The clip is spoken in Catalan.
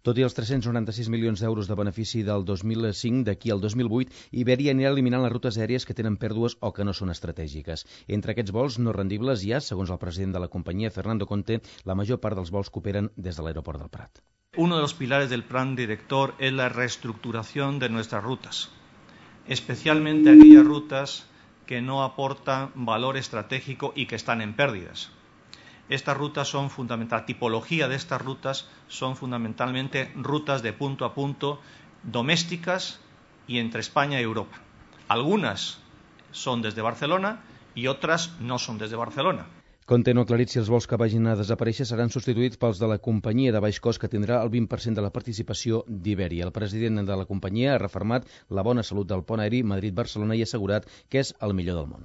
Tot i els 396 milions d'euros de benefici del 2005, d'aquí al 2008, Iberia anirà eliminant les rutes aèries que tenen pèrdues o que no són estratègiques. Entre aquests vols no rendibles hi ha, segons el president de la companyia, Fernando Conte, la major part dels vols que operen des de l'aeroport del Prat. Uno de los pilares del plan director es la reestructuración de nuestras rutas, especialmente aquellas rutas que no aportan valor estratégico y que están en pérdidas. Estas rutas son fundamental, tipología de estas rutas son fundamentalmente rutas de punto a punto domésticas y entre España y Europa. Algunas son desde Barcelona y otras no son desde Barcelona. Conte no ha aclarit si els vols que vagin a desaparèixer seran substituïts pels de la companyia de baix cost que tindrà el 20% de la participació d'Iberia. El president de la companyia ha refermat la bona salut del pont aeri Madrid-Barcelona i ha assegurat que és el millor del món.